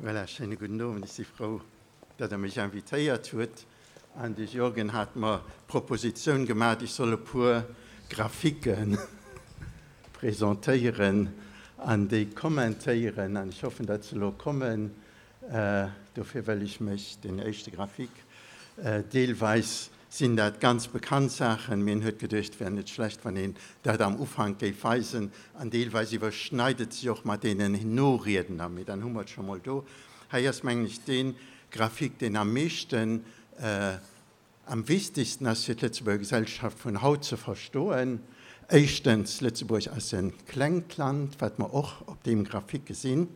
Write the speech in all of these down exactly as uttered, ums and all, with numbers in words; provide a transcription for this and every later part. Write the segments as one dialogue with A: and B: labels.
A: Voilà, schéine gudden Owend. Ech si frou, datt Der mech invitéiert hutt. An de Jürgen hat mer d'Propositioun gemaach, ech soll e puer Graphike presentéieren an déi kommentéieren. An ech hoffen, datt se elo kommen. Dofir wëll ech mech den éischte Graphique, deelweis sinn dat ganz bekannt Saachen, mee en huet geduecht, et wär net schlecht, wann een dat am Ufank géif weisen, an deelweis iwwerschneit et sech och mat deenen Noriedner, mee dann hu mer et scho mol do. Hei ass, mengen ech, dee Graphique, deen am meeschten, am wichtigsten ass, fir d'Lëtzebuerger Gesellschaft vun haut ze verstoen. Éischtens, Lëtzebuerg ass e klengt Land, wat mer och op deem Graphique gesinn.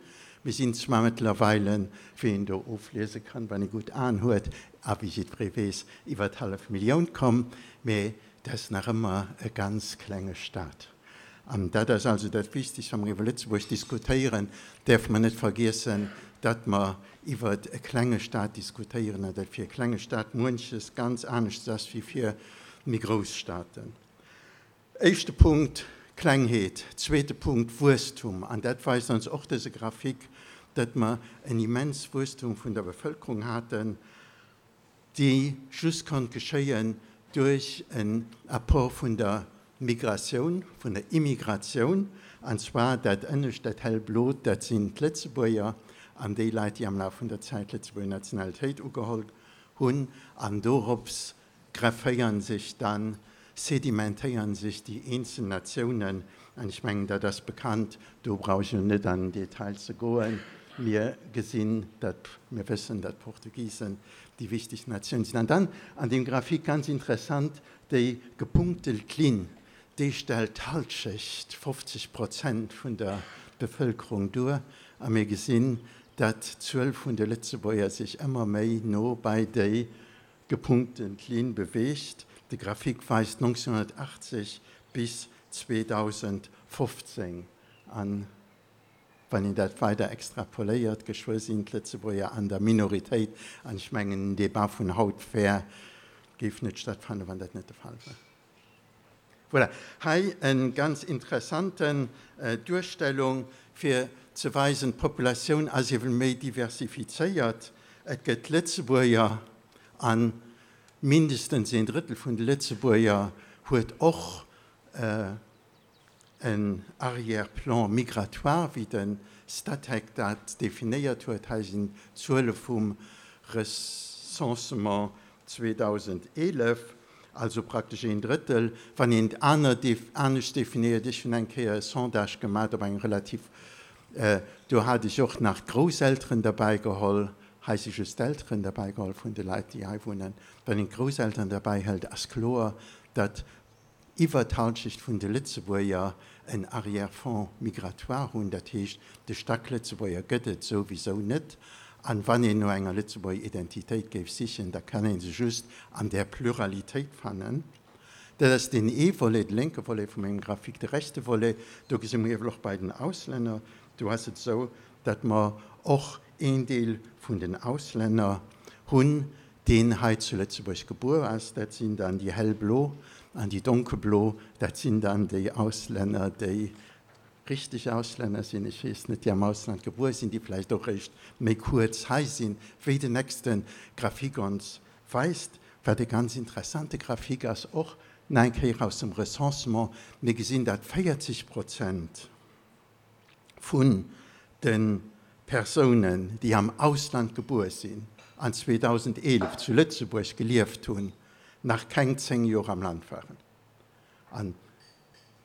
A: Mir sinn zwar mëttlerweile, wéi een do ofliese kann, wann ee gutt Aen huet a wéi jiddweree weess, iwwer d'hallef Millioun komm, mä et ass nach ëmmer e ganz klenge Stat. An dat ass also dat Wichtigst, wa mer iwwer Lëtzebuerg diskutéieren, däerfe mer net vergiessen, datt mer iwwer e klenge Stat diskutéieren an datt fir e klenge Stat muenches ganz anescht ass wéi fir méi grouss Staten. Éischte Punkt, Klengheet. Zweete Punkt, Wuesstum. An dat weist ons och dëse Graphique, datt mer en immens Wuesstum vun der Bevëlkerung haten, dee just konnt geschéien duerch en Apport vun der Migratioun, vun der Immigratioun. An zwar dat ënnescht, dat hellblot, dat sinn d'Lëtzebuerger an déi Leit, déi am Laf vun der Zäit d'Lëtzebuerger Nationalitéit ugeholl hunn. An dorops grefféieren sech dann, sedimentéieren sech déi eenzel Natiounen, an ech mengen, dat ass bekannt, do brauch ech elo net an den Detail ze goen, mir gesinn, datt, mir wëssen, datt d'Portugisen déi wichtegst Natioun sinn. An dann an deem Graphique ganz interessant, déi gepunktelt Linn, déi stellt d'Halschecht, fofzeg Prozent vun der Bevëlkerung duer, a mir gesinn, datt d'Zuel vun de Lëtzebuerger sech ëmmer méi no bei déi gepunkten Linn beweegt. De Graphique weist nonzénhunnertachtzeg bis zweedausendfofzéng an. Wann een dat weider extrapoléiert, geschwë sinn d'Lëtzebuerger an der Minoritéit. An ech mengen, den Debat vun haut wär, géif net stattfannen, wann dat net de Fall wär. Voilà, hei eng ganz interessanten Duerstellung, fir ze weisen, d'Populatioun ass ewell méi diversifizéiert. Et gëtt Lëtzebuerger an mindestens een Drëttel vun de Lëtzebuerger huet och en Arrière-plan migratoire, wéi de Statec dat definéiert huet. Hei sinn d'Zuele vum Recensement zweedausendeelef, also praktesch een Drëttel. Wann een et aner anescht definéiert, ech hunn eng Kéier e Sondage gemat op eng relativ, do hat ech och nach d'Grousselteren derbäi geholl, hei si just d'Elteren derbäi geholl vun de Leit, déi hei wunnen. Wann een d'Grousselteren derbäi hëlt, ass kloer, datt iwwer d'Halschecht vun de Lëtzebuerger en Arrière-fonds migratoire hunn. Dat heescht, de Stacklëtzebuerger gëtt et souwisou net. An wann een no enger Lëtzebuerger Identitéit géif sichen, da kann ee se just an där Pluralitéit fannen. Dat ass deen ee Volet, de lénke Volet vu mengem Graphique. De rechte Volet, do gesi mer iewel och bei den Auslänner, do ass et esou, datt mer och een Deel vun den Auslänner hunn, deen hei zu Lëtzebuerg gebuer ass. Dat sinn dann déi hellblo, an déi donkelblo, dat sinn dann déi Auslänner, déi richteg Auslänner sinn, ech weess net, déi am Ausland gebuer sinn, déi vläicht och eréischt méi kuerz hei sinn, wéi den nächste Graphique ons weist, wat e ganz interessante Graphique ass, och nach eng Kéier aus dem Recensement. Mir gesinn, datt véierzeg Prozent vun de Persounen, déi am Ausland gebuer sinn an zweedausendeelef zu Lëtzebuerg gelieft hunn, nach keng zéng Joer am Land waren. An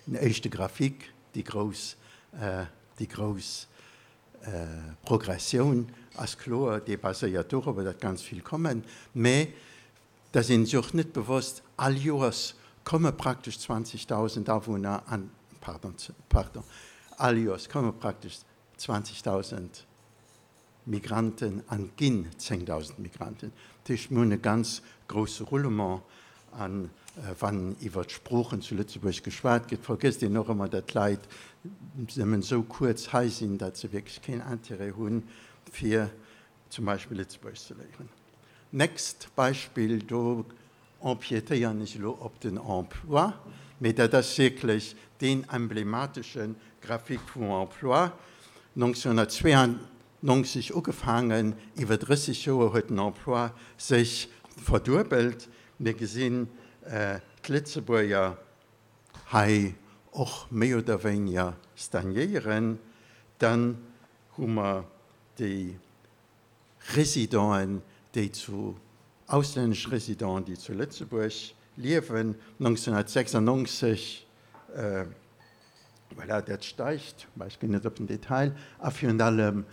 A: den éischte Graphique, déi grouss, déi grouss Progressioun ass kloer, dee baséiert dorobber, datt ganz vill kommen. Mä da sinn sech och net bewosst, all Joers komme praktesch zwanzegdausend Awunner an, pardon, pardon, all Joers komme praktesch zwanzegdausend Migranten an ginn zéngdausend Migranten. Dat heescht, mir hunn e ganz grousse Roulement. A wann iwwer d'Sproochen zu Lëtzebuerg geschwat gëtt, vergësst een och ëmmer, datt d'Leit nëmmen esou kuerz hei sinn, datt se wierklech keen Intérêt hunn, fir zum Beispill Lëtzebuergesch ze léieren. Nächst Beispill, do empiétéieren ech elo op den Emploi, mee dat ass wierklech deen emblematesche Graphique vum Emploi. nonzénhunnertzweean neunzeg ugefaangen, iwwer drësseg Joer huet den Emploi sech verduebelt. Mir gesinn d'Lëtzebuerger hei och méi oder wéiniger stagnéieren. Dann hu mer déi Residenten, déi zu, auslännesch Residenten, déi zu Lëtzebuerg liewen, nonzénhunnertsechsundneunzeg, voilà, dat steigt, mä ech ginn net op den Detail, a virun allem,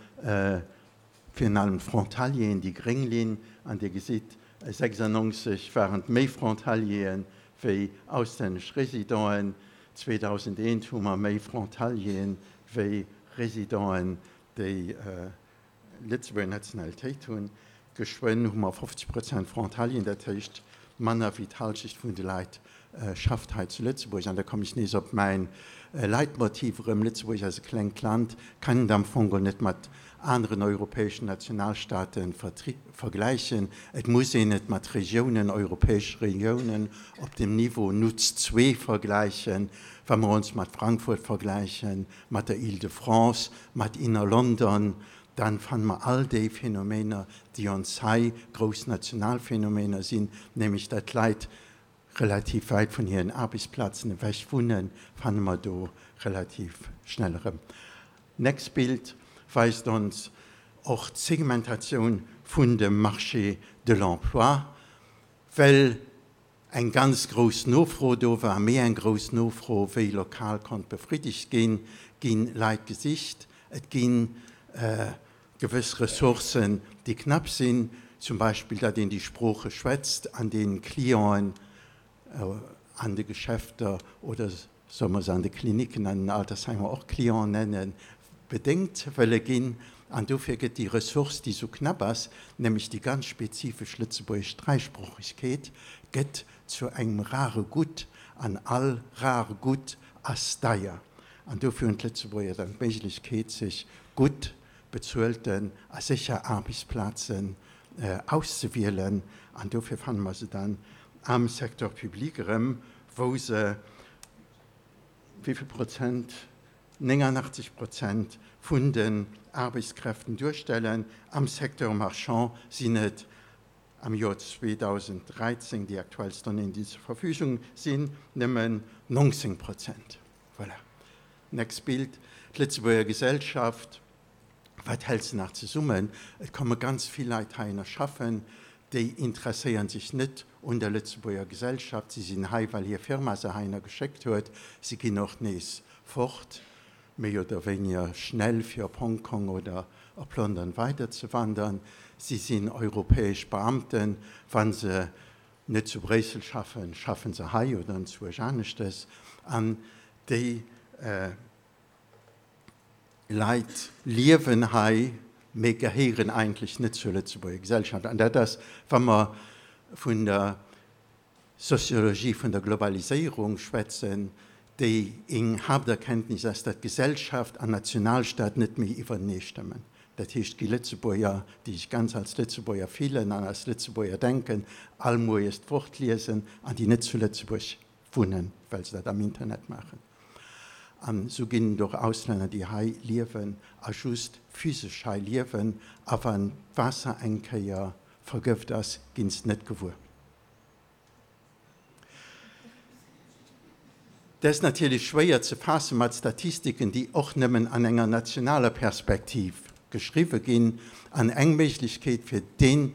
A: virun allem d'Frontalieren, déi gréng Linn, an Dir gesitt, sechsundneunzeg waren et méi Frontalieren wéi auslännesch Residenten, zweedausendeent hu mer méi Frontalieren wéi Residenten, déi Lëtzebuerger Nationalitéit hunn. Geschwënn hu mer fofzeg Prozent Frontalieren, dat heescht manner wéi d'Halschecht vun de Leit schafft hei zu Lëtzebuerg. An da kommen ech nees op mäin Leitmotiv erëm, Lëtzebuerg ass e klengt Land, kann et am Fong geholl net mat aneren europäeschen Nationalstaate vergläichen. Et muss een et mat Regiounen, europäesche Regiounen op dem Niveau NUTS zwee vergläichen. Wa mer ons mat Frankfurt vergläichen, mat der Île-de-France, mat Inner London, dann fanne mer all déi Phänomener, déi ons hei grouss national Phänomener sinn, nämlech datt d'Leit relativ wäit vun hiren Aarbechtsplazen ewech wunnen, fanne mer do relativ schnell erëm. Next Bild weist ons och d'Segmentatioun vun dem Marché de l'emploi, well eng ganz grouss Nofro do war, méi eng grouss Nofro wéi lokal konnt befriddegt ginn, gi Leit gesicht. Et gi gewëss Ressourcen, déi knapp sinn, zum Beispill datt een déi Sprooche schwätzt an deenen Clienten an de Geschäfter oder solle mer se an de Klinicken, an den Altersheimer och Clienten nennen, bedéngt wëlle ginn. An dofir gëtt déi Ressource, déi esou knapp ass, nämlech déi ganz spezifesch lëtzebuergesch Dräisproochegkeet, gëtt zu engem rare Gutt an all rare Gutt ass deier. An dofir hunn d'Lëtzebuerger dann d'Méiglechkeet, sech gutt bezuelten a sécher Aarbechtsplazen auszewielen. An dofir fanne mer se dann am Secteur public erëm, wou se wéi vill Prozent? néngannachtzeg Prozent vun den Aarbechtskräften duerstellen. Am Secteur marchand sinn et am Joer zweedausenddräizéng, déi aktuellst Donnéeën, déi zur Verfügung sinn, nëmmen neunzéng Prozent. Voilà. Next Bild. D'Lëtzebuerger Gesellschaft, wat hält se nach zesummen? Et komme ganz vill Leit heihinner schaffen, déi interesséieren sech net un der Lëtzebuerger Gesellschaft. Si sinn hei, well hir Firma se heihinner geschéckt huet. Si ginn och nees fort, méi oder wéiniger schnell, fir op Hongkong oder op London weiderzewandern. Si sinn europäesch Beamten. Wa se net zu Bréissel schaffen, schaffen se hei oder enzwousch aneschtes. An déi Leit liewen hei, mee gehéieren eigentlech net zur Lëtzebuerger Gesellschaft. An dat ass, wa mer vun der Soziologie vun der Globaliséierung schwätzen, déi eng Haapterkenntnis ass, datt Gesellschaft an Nationalstaat net méi iwwertenee stëmmen. Dat heescht, gi Lëtzebuerger, déi sech ganz als Lëtzebuerger fillen an als Lëtzebuerger denken, all moies d'Wort liesen an déi net zu Lëtzebuerg wunnen, well se dat am Internet maachen. An esou ginn et och Auslänner, déi hei liewen a just physesch hei liewen, a wann d'Waasser eng Kéier vergëft ass, ginn se net gewuer. Dat ass natierlech schwéier ze faasse mat Statistiken, déi och nëmmen an enger nationaler Perspektiv geschriwwe ginn. An eng Méiglechkeet, fir déi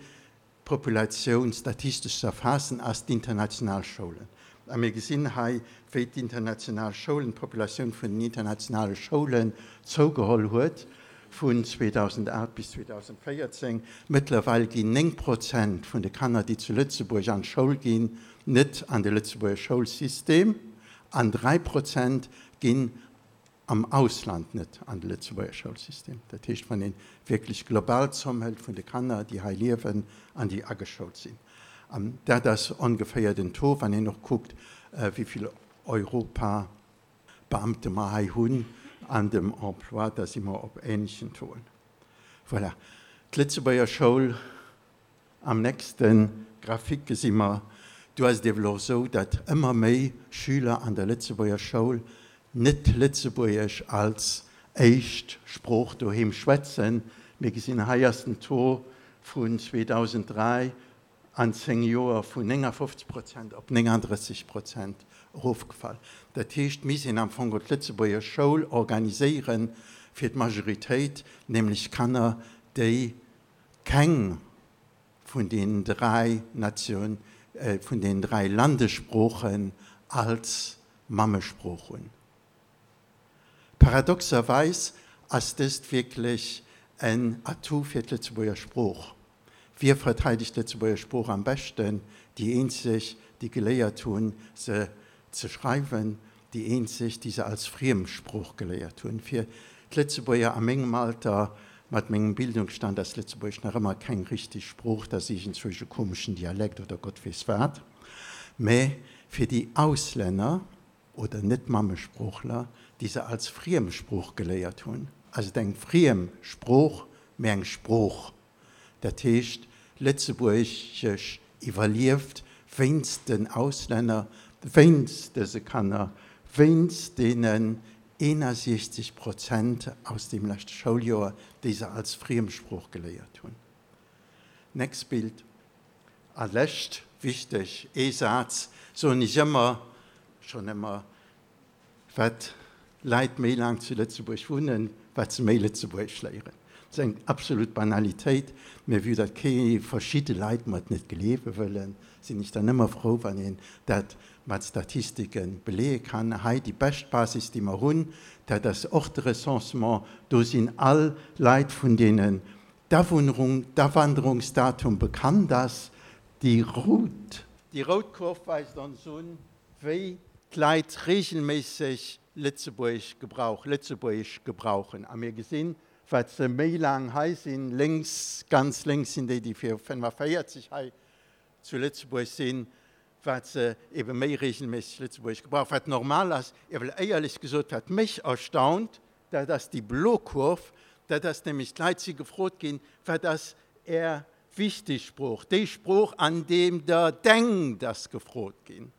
A: Populatioun statistesch ze erfaassen, ass d'international Schoulen. A mir gesinn hei, wéi d'international Schoulen, d'Populatioun vun den internationale Schoulen zougeholl huet vun zweedausendacht bis zweedausendvéierzéng. Mëttlerweil ginn néng Prozent vun de Kanner, déi zu Lëtzebuerg an d'Schoul ginn, net an de Lëtzebuerger Schoulsystem an dräi Prozent ginn am Ausland net an de Lëtzebuerger Schoulsystem. Dat heescht, wann ee wierklech global d'Zomm hëlt vun de Kanner, déi hei liewen an déi ageschoult sinn. An dat ass ongeféier den Taux, wann een och kuckt, wéi vill Europabeamte mer hei hunn an dem Emploi, da si mer op ähnlechen Tauxen. Voilà. D'Lëtzebuerger Schoul, am nächste Graphique gesi mer, do ass et ewell och esou, datt ëmmer méi Schüler an der Lëtzebuerger Schoul net Lëtzebuergesch als éischt Sprooch doheem schwätzen, Mir gesinn, hei ass den Taux vun zweedausenddräi an zéng Joer vun néngafofzeg Prozent op nénganddrësseg Prozent erofgefall. Dat heescht, mir sinn am Fong d'Lëtzebuerger Schoul organiséiere fir d'Majoritéit, nämlech Kanner, déi keng vun den dräi Nation, äh, vun den dräi Landessproochen als Mammesprooch hunn. Paradoxerweis ass dëst wierklech en Atout fir d'Lëtzebuerger Sprooch. Wie verteidegt d'Lëtzebuerger Sprooch am beschten? Déi eenzeg, déi geléiert hunn, se ze schreiwen, déi eenzeg, déi se als Friemsprooch geléiert hunn. Fir d'Lëtzebuerger a mengem Alter, mat mengem Bildungsstand, ass Lëtzebuergesch nach ëmmer keng richteg Sprooch, dat ass iergendzwousch e komeschen Dialekt oder Gott weess wat. Mä fir déi Auslänner oder Net-Mammesproochler, déi se als Friemsprooch geléiert hunn, ass et eng friem Sprooch, mä eng Sprooch. Dat heescht, Lëtzebuergesch iwwerlieft wéinst den Auslänner, wéinst dëse Kanner, wéinst deenen eenasiechzeg Prozent aus deem leschte Schouljoer, déi se als Friemsprooch geléiert hunn. Next Bild. A lescht, wichteg, ee Saz soen ech ëmmer, schonn ëmmer, Wat Leit méi laang zu Lëtzebuerg wunnen, wat se méi Lëtzebuergesch léieren. Dat ass eng absolut Banalitéit, mä vue datt kee verschidde Leit mer et net gleewe wëllen, sinn ech dann ëmmer frou, wann een dat mat Statistike beleeë kann. Hei déi bescht Basis, déi mer hunn, dat ass och de Recensement. Do sinn all Leit, vun deenen d'Awunnerung, d'Awanderungsdatum bekannt ass. Déi rout. Déi rout Kurv weist ons un, wéi d'Leit reegelméisseg Lëtzebuergesch gebrauch, Lëtzebuergesch gebrauchen. A mir gesinn, wat se méi laang hei sinn, lénks, ganz lénks sinn déi, déi fir fënnefaféierzeg hei zu Lëtzebuerg sinn, wat se ebe méi reegelméisseg Lëtzebuergesch gebrauchen, wat normal ass. Ewell éierlech gesot, wat mech erstaunt, dat ass déi blo Kurv, dat ass nämlech, d'Leit si gefrot ginn, wat ass Är wichteg Sprooch, déi Sprooch, an deem Der denkt, ass gefrot ginn.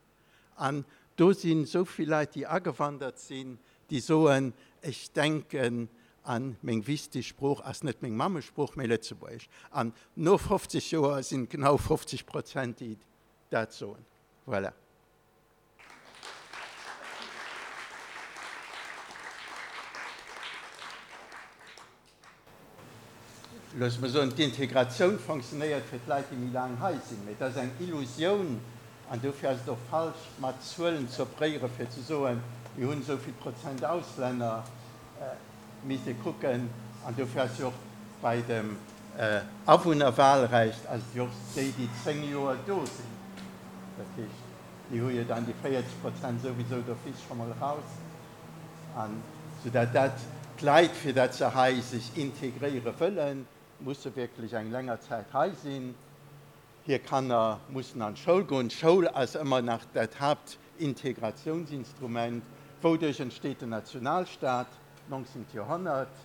A: An do sinn esou vill Leit, déi agewandert sinn, déi soen, ech denken an meng wichteg Sprooch ass net meng Mammesprooch, mee Lëtzebuergesch. An no fofzeg Joer sinn et genau fofzeg Prozent, déi dat soen. Voilà. Loosse mer soen, d'Integratioun fonctionnéiert fir d'Leit, déi méi laang hei sinn, mee et ass eng Illusioun an dofir ass et och falsch, mat Zuelen ze operéieren, fir ze soen, mir hunn esou vill Prozent Auslänner. Et misst ee kucken, an dofir ass jo och bei dem Awunnerwahlrecht ass et jo och déi, déi zéng Joer do sinn, dat heescht, déi hu jo dann déi véierzeg Prozent souwisou d'office scho mol eraus, an soudatt dat d'Leit, fir datt se hei sech integréiere wëllen, musse wierklech eng länger Zäit hei sinn. Hir Kanner mussen an d'Schoul goen. D'Schoul ass ëmmer nach dat Haaptintegratiounsinstrument. Wouduerch entsteet den Nationalstaat? neunzehnten Joerhonnert,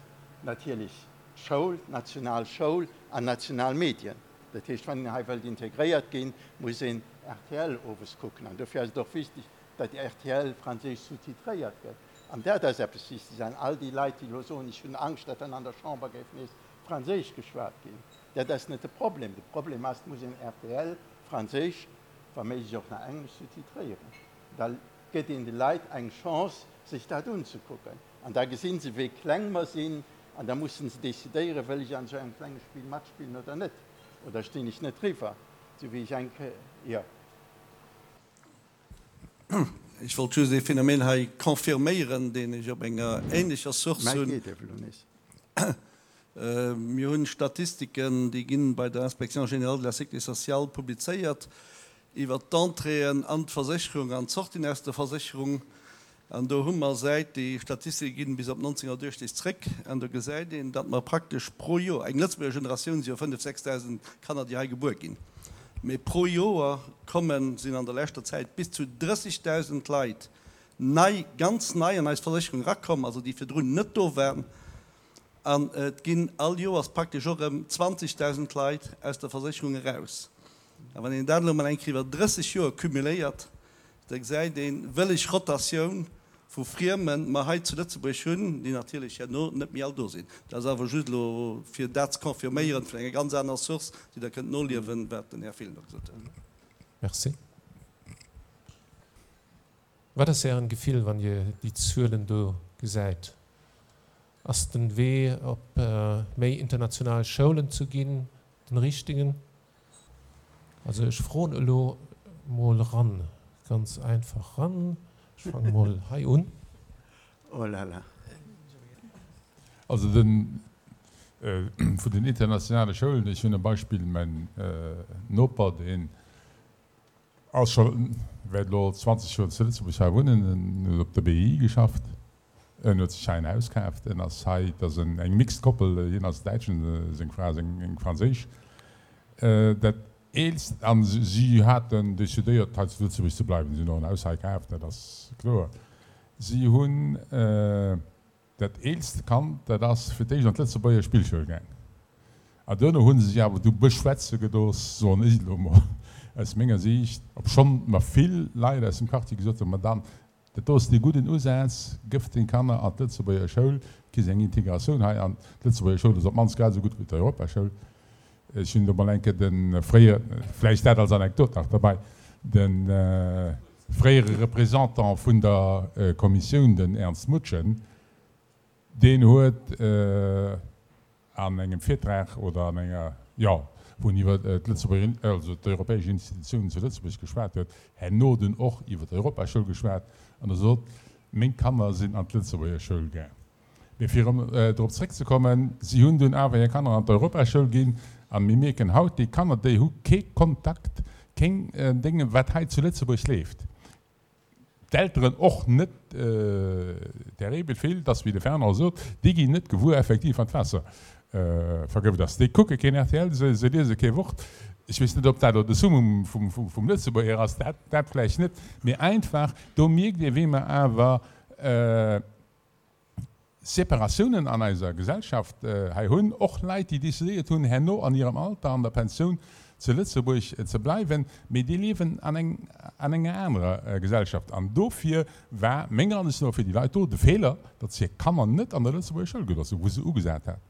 A: natierlech d'Schoul, d'national Schoul an national Medien. Dat heescht, wann een hei wëllt integréiert ginn, muss een R T L owes kucken. An dofir ass et och wichteg, datt R T L franséisch sous-titréiert gëtt. An dat ass eppes Wichteges. An all déi Leit, déi elo soen, ech hunn Angscht, datt dann an der Chamber géif nees franséisch geschwat ginn, dat ass net de Problem. De Problem ass, et muss een R T L franséisch, wa méiglech och nach englesch sous-titréieren. Da gëtt een de Leit eng Chance, sech dat unzekucken. An da gesi se, wéi kleng mer sinn. An da mussen se decidéieren, wëll ech an esou engem klenge Spill matspillen oder net? Oder stinn ech net driwwer, esou wéi ech eng Kéier.
B: Ech wollt just ee Phänomen hei confirméieren, deen ech op enger ähnlecher Source
A: Mäi
B: hunn.
A: geet ewell elo nees.
B: Mir hunn Statistiken, déi ginn bei der Inspection générale de la sécurité sociale publizéiert, iwwert d'Entréeën an d'Versécherung an d'Sortien aus der Versécherung. An do hu mer, säit déi Statistike ginn bis op neunzehnhunnertachtzeg zréck, an do gesäit een, datt mer praktesch pro Joer, eng Lëtzebuerger Generatioun si jo fënnef, sechsdausend Kanner, déi hei gebuer ginn, mee pro Joer kommen, sinn an der leschter Zäit bis zu drëssigdausend Leit nei, ganz nei an eis Versécherung erakomm, also déi virdrun net do waren. An et ginn all Joers praktesch och erëm zwanzigdausend Leit aus der Versécherung eraus. A wann een dat elo mol eng Kéier iwwer drësseg Joer cumuléiert, da gesäit een, wëlleg Rotatioun vu Friemen mer hei zu Lëtzebuerg hunn, déi natierlech herno net méi all do sinn. Dat ass awer just elo fir dat ze confirméieren vun enger ganz aner Source, déi Der kënnt noliewen, wat den Här Fillner gesot huet.
C: Merci. Wat ass Ären Gefill, wann Dir déi Zuelen do gesäit? Ass den Wee op méi international Schoulen ze ginn den richtegen? Also ech froen elo mol ran, ganz einfach ran. Ech fange mol hei un.
A: Oh la la.
D: Also den vun den internationale Schoulen, ech hunn e Beispill, mäin Noper, deen ass scho wäert elo zwanzeg Joer zu Lëtzebuerg hei wunnen, en huet op der B I geschafft, en huet sech hei en Haus kaaft, en ass hei, et ass eng mixed Koppel, hien ass Däitschen, seng Fra ass eng Franséisch. Dat eelst, an si haten decidéiert hei zu Lëtzebuerg ze bleiwen, si hunn och en Haus hei kaaft, dat ass kloer. Si hunn dat eelst Kand, dat ass fir d'éischt an d'Lëtzebuerger Spillschoul gaang. An duerno hu se sech awer du beschwätze gelooss, soen ech elo mol aus menger Siicht, obschonn mer vill Leit aus dem Quartier gesot hunn, Madame, dat do ass dee gudden Usaz, gëff deng Kanner an d'Lëtzebuerger Schoul, kriss eng Integratioun hei an d'Lëtzebuerger Schoul ass op d'mannst grad esou gutt wéi d'Europaschoul. Ech hunn do mol eng Kéier de fréiere, vläicht dat als Anekdot nach derbäi, de fréiere Représentant vun der Kommissioun, den Ernst Mutschen, deen huet an engem Virtrag oder an enger, jo, wou en iwwer d'Lëtzebuerger, also d'europäesch Institutiounen zu Lëtzebuerg geschwat huet, herno dunn och iwwer d'Europaschoul geschwat an e sot, Meng Kanner sinn an d'Lëtzebuerger Schoul gaang. Mee fir erëm drop zréckzekommen, si hunn dunn awer hir Kanner an d'Europaschoul ginn a mir mierken haut, déi Kanner, déi hu kee Kontakt, keng Dénge wat hei zu Lëtzebuerg leeft. D'Elteren och net terribel vill, dass, wéi de Fernand sot, déi ginn net gewuer effektiv, wann d'Waasser vergëft ass. Déi kucke keen R T L, se liese kee Wort. Ech weess net, ob dat elo de Summum vum Lëtzebuerger ass, dat, dat vläicht net, mee einfach, do mierkt ee, wéi mer awer Separatiounen an eiser Gesellschaft hei hunn, och Leit, déi decidéiert hunn, herno an hirem Alter, an der Pensioun zu Lëtzebuerg ze bleiwen, mee déi liewen an eng, an enger anerer Gesellschaft. An dofir war menger Ansicht no fir déi Leit do de Feeler, datt se hir Kanner net an der Lëtzebuerger Schoul gelooss hunn, wou se ugesat hat.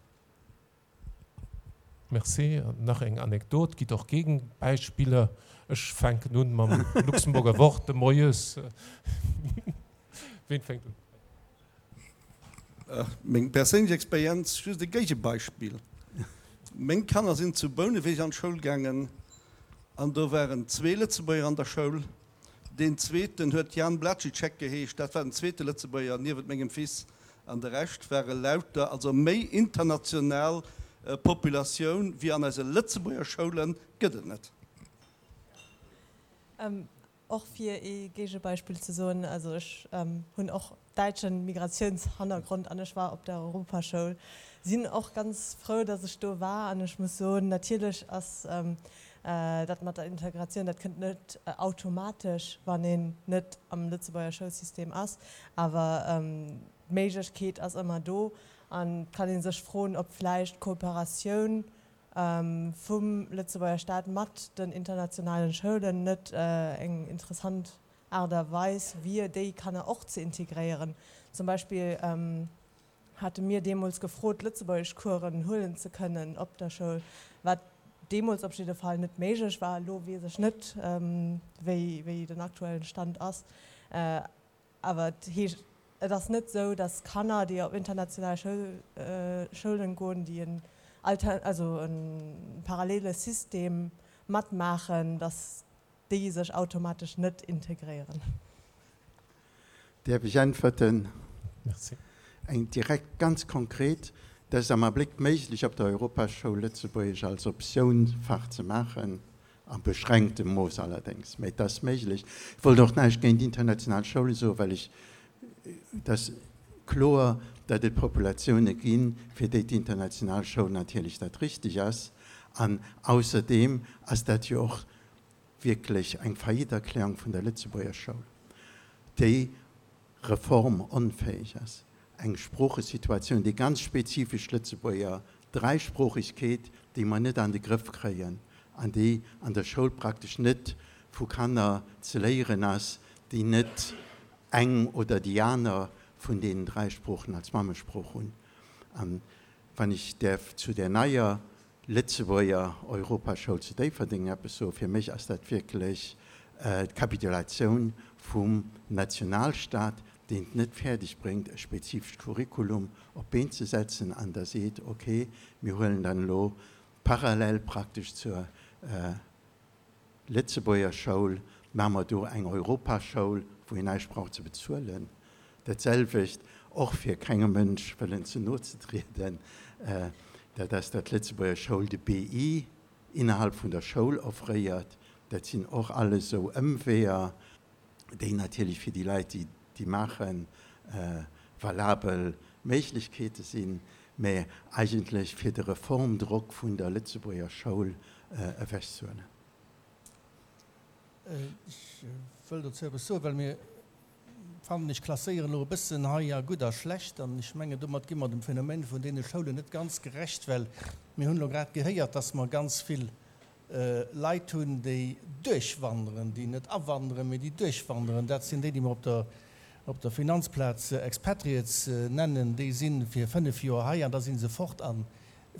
C: Merci. Nach eng Anekdot, gitt och Gegenbeispieler. Ech fänken un mam Luxemburger Wort de Moies. Ween fänkt un?
B: Meng perséinlech Experienz, just e Géigebeispill. Meng Kanner sinn zu Bouneweg an d'Schoul gaangen an do waren zwee Lëtzebuerger an der Schoul. Deen zweeten huet Jan Blacicek geheescht, dat war den zweete Lëtzebuerger niewent mengem Fils, an de Rescht ware lauter, also méi international Populatioun wéi an eise Lëtzebuerger Schoule gëtt et net.
E: Och fir ee Géigebeispill ze soen, also ech hunn och däitschen Migratiounshannergrond an ech war op der Europaschoul, sinn och ganz frou, dass ech do war an ech muss soen, natierlech ass dat mat der Integratioun, dat kënnt net automatesch, wann een net am Lëtzebuerger Schoulsystem ass, awer d'Méiglechkeet ass ëmmer do an kann ee sech froen, ob vläicht d'Kooperatioun vum Lëtzebuerger Staat mat den internationalen Schoulen net eng interessant Aart a Weis wier, déi Kanner och ze integréieren. Zum Beispill hate mir deemools gefrot, Lëtzebuergeschcoursen huelen ze kënnen op der Schoul, wat deemools op jidde Fall net méiglech war. Elo weess ech net, wéi, wéi den aktuellen Stand ass. Awer et heescht, et ass net esou, datt Kanner, déi op international Schoul, Schoulen goen, déi en Alter, also e parallele System matmaachen, datt déi sech automatesch net integréieren.
A: Däerf ech äntwerten?
C: Merci.
A: Eng direkt, ganz konkret, Dat ass am Abléck méiglech, op der Europaschoul Lëtzebuergesch als Optiounsfach ze maachen, a beschränktem Mooss allerdéngs, mä et ass méiglech. Ech wollt och näischt géint international Schoule soen, well ech, et ass kloer, datt et Populatioune ginn, fir déi d'international Schoul natierlech dat Richteg ass. An ausserdeem ass dat jo och wierklech eng Faillite-Erklärung vun der Lëtzebuerger Schoul, déi reformonfäeg ass. Eng Sproochesituatioun, déi ganz spezifesch Lëtzebuerger Dräisproochegkeet, déi mer net an de Grëff kréien an déi an der Schoul praktesch net vu Kanner ze léieren ass, déi net eng oder déi aner vun deenen dräi Sproochen als Mammesprooch hunn. An wann ech däerf zu där neier Lëtzebuerger Europaschoul zu Déifferdeng eppes soen, fir mech ass dat wierklech d'Kapitulatioun vum Nationalstaat, deen et net fäerdeg bréngt, e spezifescht Curriculum op d'Been ze setzen an da seet, okay, mir huelen dann elo parallel praktesch zur Lëtzebuerger Schoul, maache mer do eng Europaschoul, wou een näischt brauch ze bezuelen. Dat selwecht, och fir kengem Mënsch wëllen ze no ze trieden, dat ass, datt d'Lëtzebuerger Schoul de B I innerhalb vun der Schoul offréiert. Dat sinn och alles esou Ëmweeër, déi natierlech fir déi Leit, déi déi maachen, valabel Méiglechkeete sinn, mä eigentlech fir de Reformdrock vun der Lëtzebuerger Schoul ewechzehuelen.
B: Ech wëll dozou eppes soen, well mir, fannen ech, klasséieren elo e bëssen hei a gutt a schlecht. An ech mengen, domat gi mer dem Phänomen vun deene Schoulen net ganz gerecht, well mir hunn elo grad gehéiert, dass mer ganz vill Leit hunn, déi duerchwanderen, déi net awanderen, mee déi duerchwanderen. Dat sinn déi, déi mer op der, op der Finanzplaz Expatriates nennen. Déi si fir fënnef Joer hei an da si se fort. A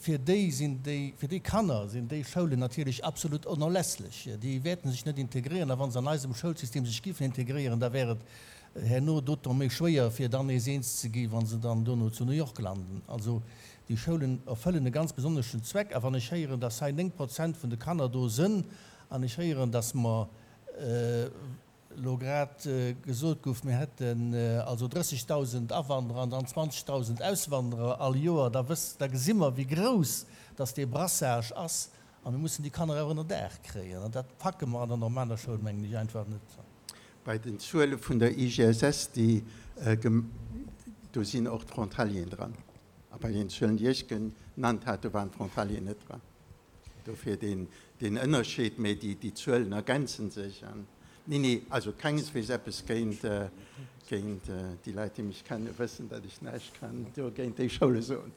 B: fir déi sinn déi, fir déi Kanner sinn déi Schoulen natierlech absolut onerlässlech. Déi wäerten sech net integréieren. A wa se an eisem Schoulsystem sech giffen integréieren, da wär et herno d'autant méi schwéier, fir dann nees eens ze gi wa se dann dono zu New York landen. Also déi Schoulen erfëllen e ganz besonneschen Zweck. A wann ech héieren, dass hei néng Prozent vun de Kanner do sënn, an ech héieren, dass mer elo grad gesot gouf, mir hätten also drëssegdausend Awanderer an dann zwanzegdausend Auswanderer all Joer, da wëss, da gesi mer, wéi grouss dass dee Brassage ass. A mir mussen déi Kanner awer ënnerdaach kréien. An dat packe mer an der normaler Schoul, mengen ech, einfach net.
A: Bei den Zuele vun der I G S S, déi do sinn och d'Frontalieren dran. A bei den Zuelen, déi ech genannt hat, do waren d'Frontalieren net dran. Dofir deen Ënnerscheed, mä déi Zuelen ergänze sech. Neen, nee, also kengesweegs eppes géint déi Leit, déi mech kennen, wëssen, datt ech näischt kann do géint déi Schoule soen.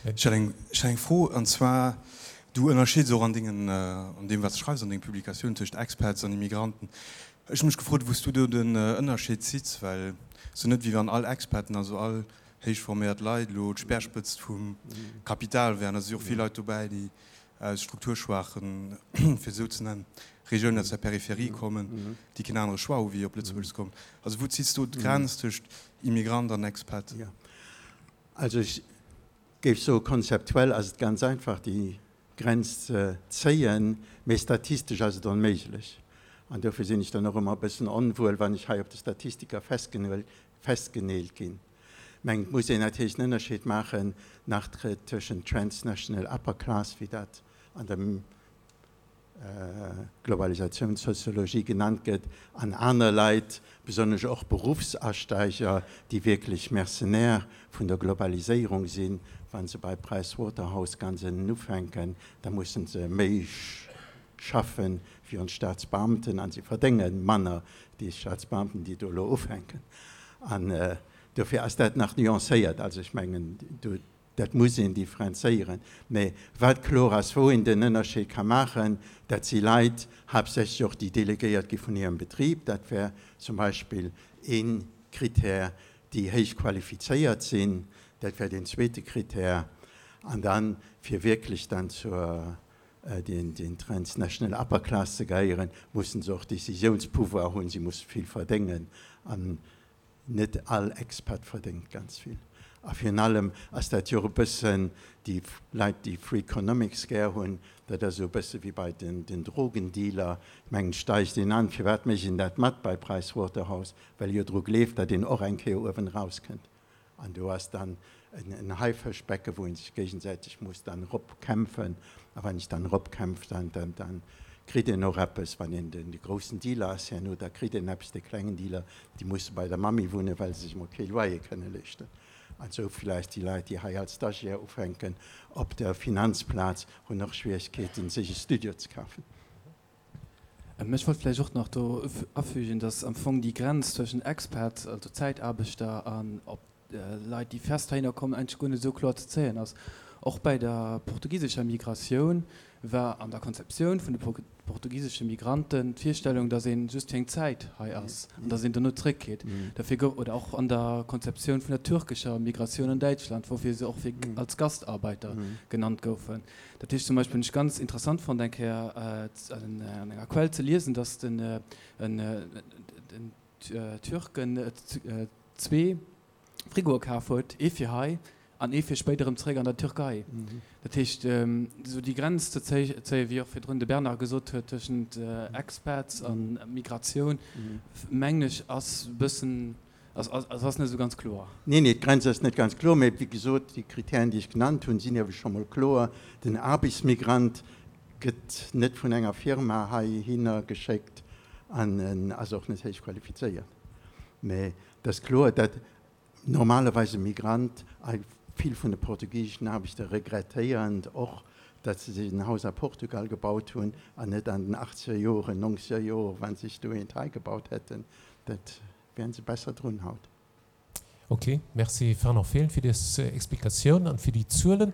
F: Ech hätt eng, ech hätt eng Fro, an zwar, du ënnerscheeds och an dengen, an deem wat s de schreifs, an denge Publikatiounen tëscht Expats an Immigranten. Ech hu mech gefrot, wou s du do den Ënnerscheed zitts, well et ass jo net, wéi wann all Expaten, also all héich forméiert Leit elo d'Speerspëtzt vum Kapital wären. Da si och vill Leit dobäi, déi aus strukturschwaachen, fir esou ze nennen, Regiounen aus der Peripherie kommen, déi keen anere Choix hu wéi op Lëtzebuerg ze kommen. Also wou zitts du d'Grenz tëscht Immigrant an Expat?
A: Jo, also ech géif soe konzeptuell ass et ganz einfach déi Grenz ze zéien, mee statistesch ass et onméiglech. An dofir sinn ech dann och ëmmer e bëssen onwuel, wann ech hei op de Statistiker festgeneelt ginn. Mä et muss een natierlech en Ënnerscheed maachen nach tëschent transnational upper class, wéi dat an der Globalisatiounssoziologie genannt gëtt, an aner Leit, besonnesch och Berufsasteiger, déi wierklech Mercenaire vun der Globaliséierung sinn. Wa se bei Pricewaterhouse ganz ënnen ufänken, da mussen se méi schaffen wéi ons Staatsbeamten an se verdénge manner déi Staatsbeamten, déi do elo ufänken. An dofir ass dat nach nuancéiert. Also ech mengen, do, dat muss een differenzéieren. Mä wat kloer ass, wou een den Ënnerscheed ka maachen, dat si Leit, haaptsächlech och déi delegéiert gi vun hirem Betrib, dat wär zum Beispill ee Kritär, déi héich qualifizéiert sinn, dat wär deen zweete Kritär. An dann, fir wierklech dann zur den, den transnational upper class ze gehéieren, mussen se och Décisiounspouvvoir hunn, si musse vill verdéngen. An net all Expat verdéngt ganz vill. A virun allem ass dat jo och e bëssen, déi Leit, déi Freakonomics gär hunn, dat ass esou e bësse wéi bei den, den Drogendealer. Ech mengen, steigt een an, firwat mécht een dat mat bei Pricewaterhouse? Well e jo dru gleeft, datt een och eng Kéier uewen erauskënnt. An do ass dann en, en Haifëschbecke, wou een sech géigesäiteg muss dann eropkämpfen. A wann een sech dann eropkämpft, dann, dann, dann kritt een och eppes. Wann een den, de groussen Dealer ass herno, da kritt een eppes. Déi klengen Dealer, déi musse bei der Mammi wunnen, well se sech emol kee Loyer kënne leeschten. An esou villäicht déi Leit, déi hei als Stagiaire ufänken op der Finanzplaz, hunn och Schwieregkeeten, sech e Studio ze kafen.
G: Ech wollt vläicht och nach do afügen, dass am Fong déi Grenz zwëschen Expat, also Zäitaarbechter, an op Leit, déi fest heihinner kommen, eigentlech guer net esou kloer ze zéien ass. Och bei der portugisescher Migratioun war an der Konzeptioun vun de portugisesche Migranten d'Virstellung, datt ee just fir eng Zäit hei ass an datt een dono zréckgeet. Dofir gouf, oder och an der Konzeptioun vun der türkescher Migratioun an Däitschland, woufir se och fir als Gastarbeiter genannt goufen. Dat heescht zum Beispill, hunn ech ganz interessant fonnt eng Kéier an enger Quell ze liesen, datt den Türken zwee Frigoe kaf huet, ee fir hei an ee fir spéider erëm zeréck an der Türkei. Dat heescht, esou déi Grenz ze zéien, wéi och virdrun de Bernard gesot huet, tëschent Expats a Migratioun, mengen ech, ass e bëssen, ass ass net esou ganz kloer.
A: Neen, nee, d'Grenz ass net ganz kloer, mä wéi gesot, déi Kritären, déi ech genannt hunn, sinn iewe scho mol kloer. Den Aarbechtsmigrant gëtt net vun enger Firma heihinner geschéckt an en ass och net héich qualifizéiert. Mä et ass kloer, datt Normalerweis e Migrant, a vill vun de portugiseschen Aarbechter regrettéieren och, datt se sech en Haus a Portugal gebaut hunn an net an den achtzeger Joren, nongzeger Joren, wa se sech do eent hei gebaut hätten, dat wären se besser drun haut.
C: Ok, merci Fernand Fehlen fir des Explikatioun an fir déi Zuelen.